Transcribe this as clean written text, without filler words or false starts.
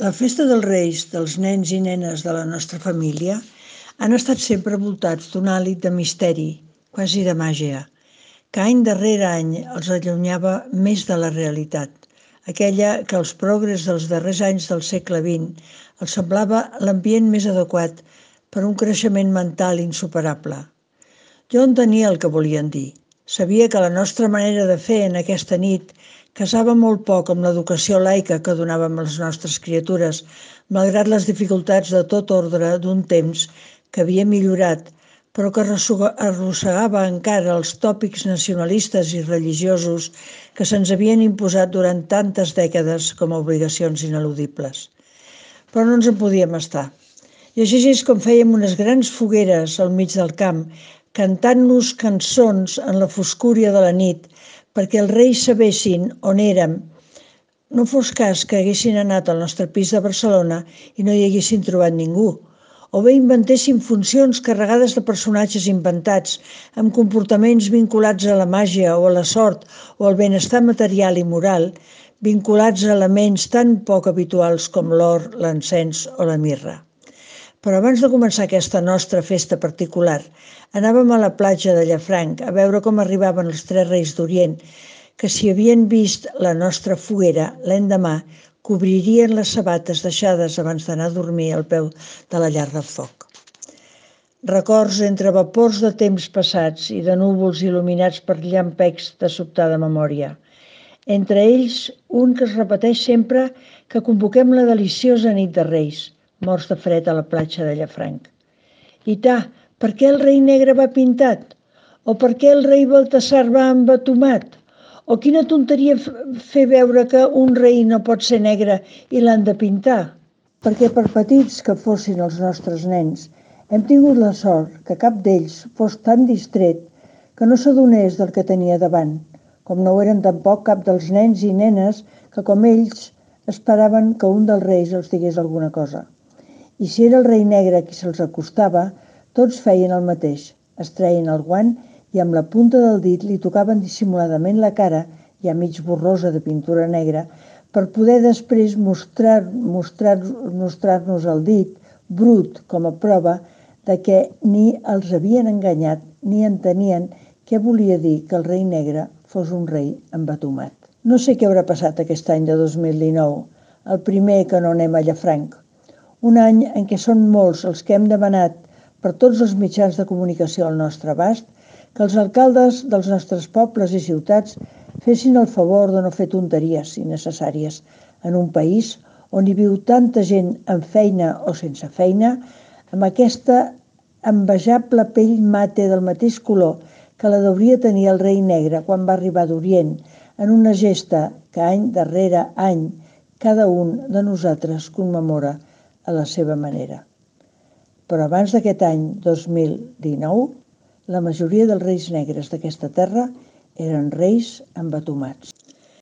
La festa dels Reis dels nens i nenes de la nostra família han estat sempre voltats d'un hàlit de misteri, quasi de màgia, que any darrere any els allunyava més de la realitat, aquella que als progres dels darrers anys del segle XX els semblava l'ambient més adequat per a un creixement mental insuperable. Jo entenia el que volien dir. Sabia que la nostra manera de fer en aquesta nit casava molt poc amb l'educació laica que donàvem a les nostres criatures, malgrat les dificultats de tot ordre d'un temps que havia millorat, però que arrossegava encara els tòpics nacionalistes i religiosos que se'ns havien imposat durant tantes dècades com a obligacions ineludibles. Però no ens en podíem estar. I així és com fèiem unes grans fogueres al mig del camp, cantant-nos cançons en la foscúria de la nit, perquè els reis sabessin on érem. No fos cas que haguessin anat al nostre pis de Barcelona i no hi haguessin trobat ningú, o bé inventessin funcions carregades de personatges inventats, amb comportaments vinculats a la màgia o a la sort o al benestar material i moral, vinculats a elements tan poc habituals com l'or, l'encens o la mirra. Però abans de començar aquesta nostra festa particular, anàvem a la platja de Llafranc a veure com arribaven els tres reis d'Orient, que si havien vist la nostra foguera l'endemà, cobririen les sabates deixades abans d'anar a dormir al peu de la llar del foc. Records entre vapors de temps passats i de núvols il·luminats per llampecs de sobtada memòria. Entre ells, un que es repeteix sempre que convoquem la deliciosa nit de Reis, morts de fred a la platja de Llafranc. I per què el rei negre va pintat? O per què el rei Baltasar va embatomat? O quina tonteria fer veure que un rei no pot ser negre i l'han de pintar? Perquè per petits que fossin els nostres nens, hem tingut la sort que cap d'ells fos tan distret que no s'adonés del que tenia davant, com no ho eren tampoc cap dels nens i nenes que, com ells, esperaven que un dels reis els digués alguna cosa. I si era el rei negre qui se'ls acostava, tots feien el mateix, es treien el guant i amb la punta del dit li tocaven dissimuladament la cara, ja mig borrosa de pintura negra, per poder després mostrar-nos el dit, brut, com a prova de que ni els havien enganyat ni entenien què volia dir que el rei negre fos un rei embatomat. No sé què haurà passat aquest any de 2019, el primer que no anem a Llafranc. Un any en què són molts els que hem demanat per tots els mitjans de comunicació al nostre abast que els alcaldes dels nostres pobles i ciutats fessin el favor de no fer tonteries innecessàries en un país on hi viu tanta gent amb feina o sense feina, amb aquesta envejable pell mate del mateix color que la hauria tenir el rei negre quan va arribar d'Orient, en una gesta que any darrere any cada un de nosaltres commemora a la seva manera. Però abans d'aquest any 2019, la majoria dels reis negres d'aquesta terra eren reis embatomats.